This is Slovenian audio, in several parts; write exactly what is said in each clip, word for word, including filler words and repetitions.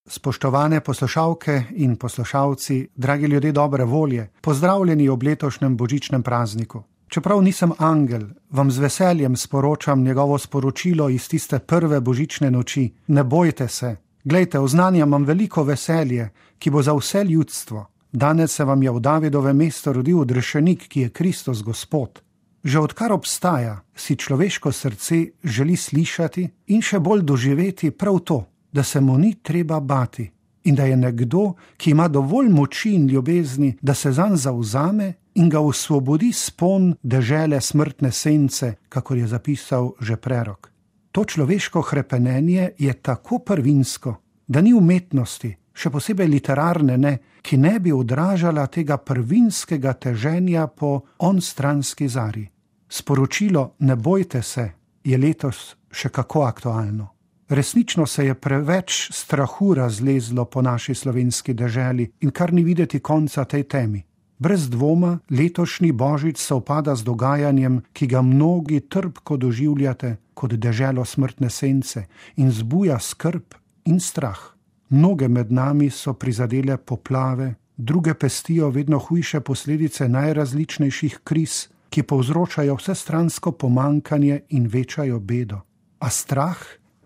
Spoštovane poslušalke in poslušalci, dragi ljudje dobre volje, pozdravljeni ob letošnjem božičnem prazniku. Čeprav nisem angel, vam z veseljem sporočam njegovo sporočilo iz tiste prve božične noči. Ne bojte se. Glejte, oznanjam vam veliko veselje, ki bo za vse ljudstvo. Danes se vam je v Davidovem mestu rodil odrešenik, ki je Kristus Gospod. Že odkar obstaja, si človeško srce želi slišati in še bolj doživeti prav to, da se mu ni treba bati in da je nekdo, ki ima dovolj moči in ljubezni, da se zanj zavzame in ga osvobodi spon dežele smrtne sence, kakor je zapisal že prerok. To človeško hrepenenje je tako prvinsko, da ni umetnosti, še posebej literarne ne, ki ne bi odražala tega prvinskega teženja po onstranski zari. Sporočilo ne bojte se je letos še kako aktualno. Resnično se je preveč strahu razlezlo po naši slovenski deželi in kar ni videti konca tej temi. Brez dvoma letošnji božič sovpada z dogajanjem, ki ga mnogi trpko doživljate kot deželo smrtne sence in zbuja skrb in strah. Mnoge med nami so prizadele poplave, druge pestijo vedno hujše posledice najrazličnejših kriz, ki povzročajo vsestransko pomankanje in večajo bedo. A strah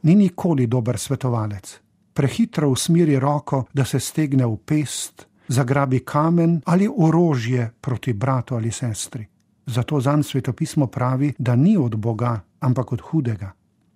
ni nikoli dober svetovalec. Prehitro usmeri roko, da se stegne v pest, zagrabi kamen ali orožje proti bratu ali sestri. Zato zanj svetopismo pravi, da ni od Boga, ampak od hudega.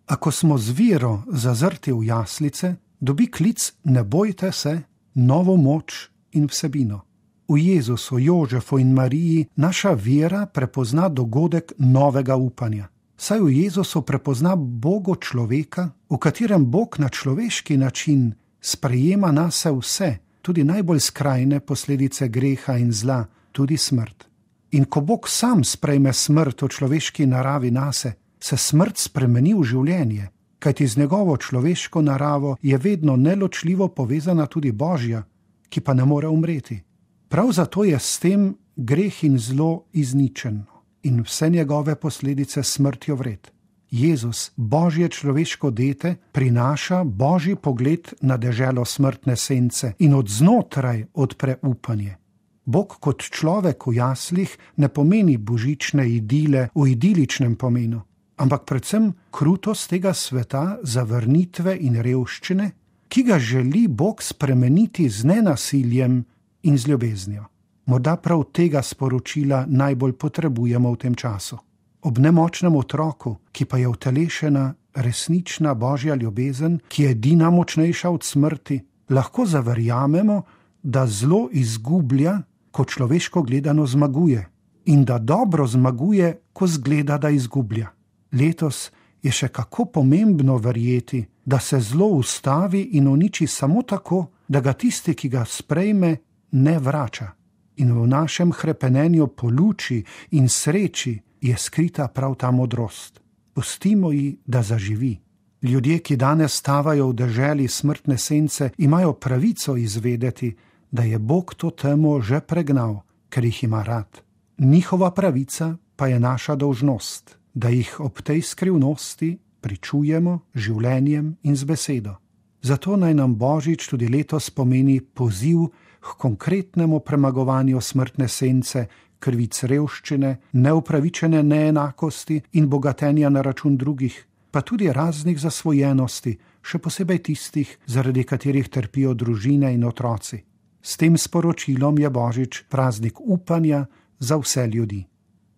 Ako smo z vero zazrti v jaslice, dobi klic ne bojte se, novo moč in vsebino. V Jezusu, Jožefu in Mariji naša vera prepozna dogodek novega upanja. Saj v Jezusu prepozna Bogo človeka, v katerem Bog na človeški način sprejema nase vse, tudi najbolj skrajne posledice greha in zla, tudi smrt. In ko Bog sam sprejme smrt v človeški naravi nase, se smrt spremeni v življenje, kajti z njegovo človeško naravo je vedno neločljivo povezana tudi Božja, ki pa ne more umreti. Prav zato je s tem greh in zlo izničeno in vse njegove posledice smrtjo vred. Jezus, Božje človeško dete, prinaša Božji pogled na deželo smrtne sence in od znotraj odpre upanje. Bog kot človek v jaslih ne pomeni božične idile v idiličnem pomenu, ampak predvsem krutost tega sveta zavrnitve in revščine, ki ga želi Bog spremeniti z nenasiljem in z ljubeznijo. Morda prav tega sporočila najbolj potrebujemo v tem času. Ob nemočnem otroku, ki pa je utelešena resnična Božja ljubezen, ki je edina močnejša od smrti, lahko zaverjamemo, da zlo izgublja, ko človeško gledano zmaguje, in da dobro zmaguje, ko zgleda, da izgublja. Letos je še kako pomembno verjeti, da se zlo ustavi in uniči samo tako, da ga tisti, ki ga sprejme, ne vrača. In v našem hrepenenju po luči in sreči je skrita prav ta modrost. Pustimo ji, da zaživi. Ljudje, ki danes stavajo v deželi smrtne sence, imajo pravico izvedeti, da je Bog to temo že pregnal, ker jih ima rad. Njihova pravica pa je naša dolžnost, da jih ob tej skrivnosti pričujemo življenjem in z besedo. Zato naj nam božič tudi letos pomeni poziv k konkretnemu premagovanju smrtne sence, krivic revščine, neupravičene neenakosti in bogatenja na račun drugih, pa tudi raznih zasvojenosti, še posebej tistih, zaradi katerih trpijo družine in otroci. S tem sporočilom je božič praznik upanja za vse ljudi.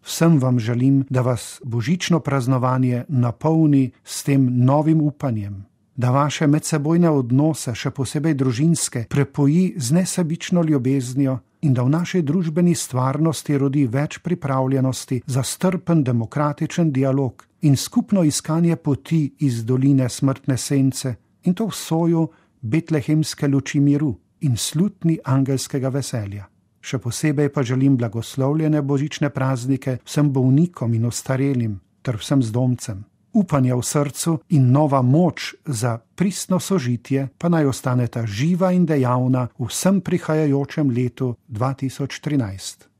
Vsem vam želim, da vas božično praznovanje napolni s tem novim upanjem, da vaše medsebojne odnose, še posebej družinske, prepoji z nesebično ljubeznijo in da v naši družbeni stvarnosti rodi več pripravljenosti za strpen demokratičen dialog in skupno iskanje poti iz doline smrtne sence in to v soju betlehemske luči miru in slutni angelskega veselja. Še posebej pa želim blagoslovljene božične praznike vsem bolnikom in ostarelim ter vsem zdomcem. Upanja v srcu in nova moč za pristno sožitje pa naj ostaneta živa in dejavna v vsem prihajajočem letu dva tisoč trinajst.